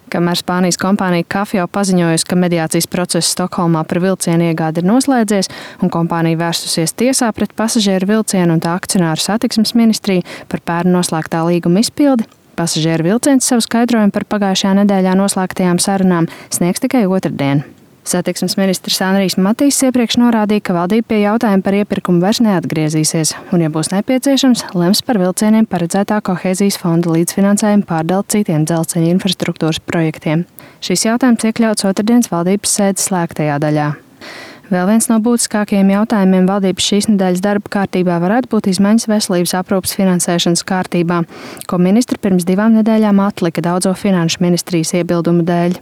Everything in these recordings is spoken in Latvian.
Kamēr Spānijas kompānija Kafjo paziņojusi, ka mediācijas process Stokholmā par vilcienu iegādi ir noslēdzies un kompānija vērstusies tiesā pret pasažieru vilcienu un tā akcionāru satiksmes ministriju par pērn noslēgtā līguma izpildi, pasažieru vilciens savu skaidrojumu par pagājušajā nedēļā noslēgtajām sarunām sniegs tikai otrdien. Satiksmes ministrs Anrijs Matīs iepriekš norādīja, ka valdība pie jautājuma par iepirkumu vairs neatgriezīsies un, ja būs nepieciešams, lems par vilcieniem paredzētā kohēzijas fonda līdzfinansējumu pārdali citiem dzelzceļa infrastruktūras projektiem. Šis jautājums iekļauts otrdienas valdības sēdes slēgtajā daļā. Vēl viens no būtiskākajiem jautājumiem valdības šīs nedēļas darba kārtībā varētu būt izmaiņas veselības aprūpes finansēšanas kārtībā, ko ministri pirms 2 nedēļām atlika daudzo finanšu ministrijas iebildumu dēļ.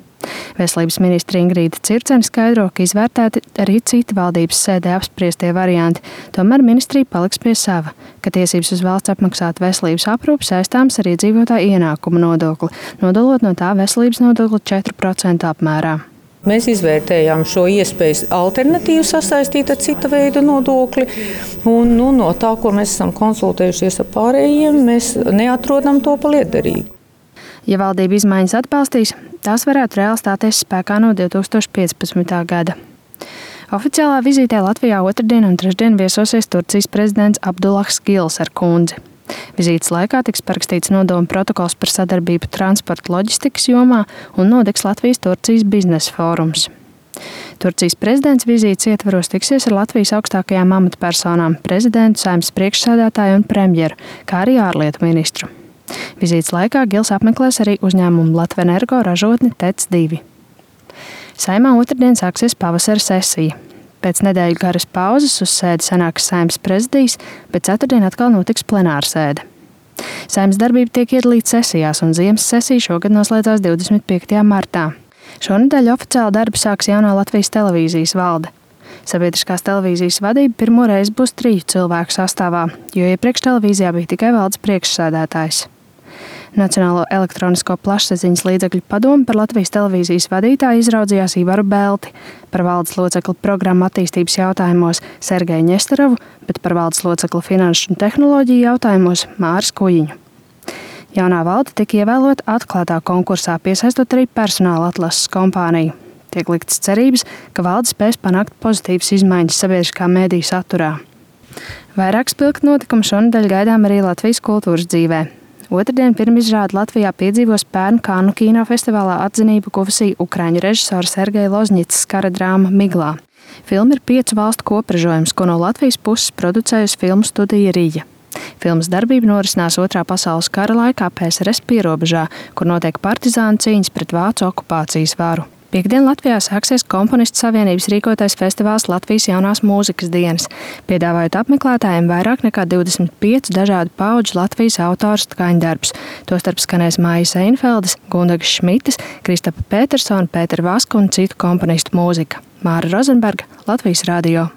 Veselības ministre Ingrīda Circene skaidro, ka izvērtēti arī citi valdības sēdē apspriestie varianti, tomēr ministrija paliks pie sava, ka tiesības uz valsts apmaksāt veselības aprūpi saistāms ar iedzīvotāju ienākumu nodokli, nodalot no tā veselības nodokli 4% apmērā. Mēs izvērtējām šo iespēju alternatīvu sasaistīt ar cita veida nodokli, un no tā, ko mēs esam konsultējušies ar pārējiem, mēs neatrodam to par lietderīgu. Ja valdība izmaiņas atbalstīs, tās varētu reāli stāties spēkā no 2015. gada. Oficiālā vizītē Latvijā otrdien un trešdien viesosies Turcijas prezidents Abdullahs Gils ar kundzi. Vizītes laikā tiks parakstīts nodomu protokols par sadarbību transporta loģistikas jomā un notiks Latvijas-Turcijas biznesa fórums. Turcijas prezidents vizītes ietvaros tiksies ar Latvijas augstākajām amatpersonām, prezidentu, Saeimas priekšsēdētāju un premjeru, kā arī ārlietu ministru. Vizītes laikā Gils apmeklēs arī uzņēmumu Latvenergo ražotni TEC 2. Saeimā otrdien sāksies pavasara sesija. Pēc nedēļu garas pauzes uz sēdi sanāks Saeimas prezidijs, bet ceturtdien atkal notiks plenāra sēde. Saeimas darbība tiek iedalīta sesijās, un ziemas sesija šogad noslēdzās 25. martā. Šonedēļ oficiāli darbu sāks jaunā Latvijas televīzijas valde. Sabiedriskās televīzijas vadība pirmo reizi būs 3 cilvēku sastāvā, jo iepriekš televīzijā bija tikai valdes priekšsēdētājs. Nacionālo elektronisko plašsaziņas līdzekļu padome par Latvijas televīzijas vadītāju izraudzījās Ivaru Belti, par valdes locekli programmu attīstības jautājumos Sergeju Ņesterovu, bet par valdes locekli finanšu un tehnoloģiju jautājumos Māris Kujiņu. Jaunā valde tika ievēlota atklātā konkursā, piesaistot arī personāla atlases kompāniju. Tiek liktas cerības, ka valde spēs panākt pozitīvas izmaiņas sabiedriskā mēdīju saturā. Vairāk spilgt notikumu šonedēļ gaidām arī Latvijas kultūras dzīvē. Otrdien pirmizrādi Latvijā piedzīvos pērn Kannu kinofestivālā atzinību guvusī ukraiņu režisora Sergeja Ložņicas kara drāma Miglā. Filma ir 5 valstu kopražojums, ko no Latvijas puses producējusi filmu studija Rija. Filmas darbība norisinās 2. pasaules kara laikā PSRS pierobežā, kur notiek partizānu cīņas pret vācu okupācijas varu. Piektdien Latvijā sāksies Komponistu savienības rīkotais festivāls Latvijas jaunās mūzikas dienas, piedāvājot apmeklētājiem vairāk nekā 25 dažādu paudžu Latvijas autoru skaņdarbus. Tostarp skanēs Maijas Einfeldes, Gundagas Šmitas, Kristapa Petersona, Pētera Vaska un citu komponistu mūzika. Māra Rozenberga, Latvijas radio.